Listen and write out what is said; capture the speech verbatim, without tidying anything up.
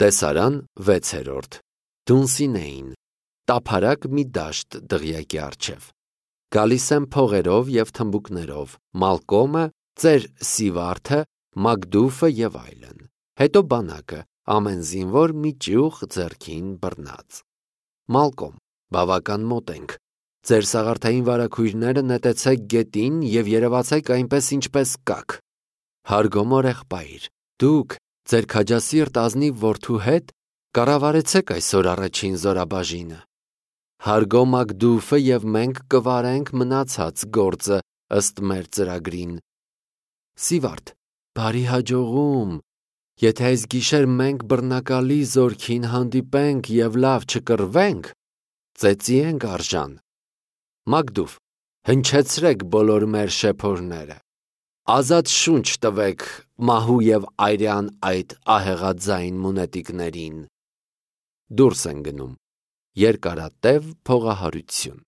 Տեսարան վեցերորդ Դունսինեին տափարակ մի դաշտ դղյակի առջև գալիս եմ փողերով և թմբուկներով Մալկոմը, ծեր Սիվարդը, Մակդուֆը և այլն, հետո բանակը, ամեն զինվոր մի ճյուղ ձեռքին բռնած։ Մալկոմ, բավական մոտ ենք, ձեր սաղարթային վարագույրները նետեցեք գետին և երևացեք այնպես ինչպես կաք։ Հարգոմոր եղբայր, դուք ձեր քաջասիրտ ազնիվ որդու հետ կառավարեցեք այսօր առաջին զորաբաժինը։ Հարգո Մակդուֆը և մենք կվարենք մնացած գործը ըստ մեր ծրագրին։ Սիվարդ, բարի հաջողում, եթե այս գիշեր մենք բռնակալի զորքին հանդիպենք և լավ չկռվենք, ծեծի ենք արժան։ Մակդուֆ, հնչեցրեք բոլոր մեր շեփորները, ազատ շունչ տվեք մահու և այրյան այդ ահեղաձայն մունետիկներին։ Դուրս են գնում։ Երկարատև փողահարություն։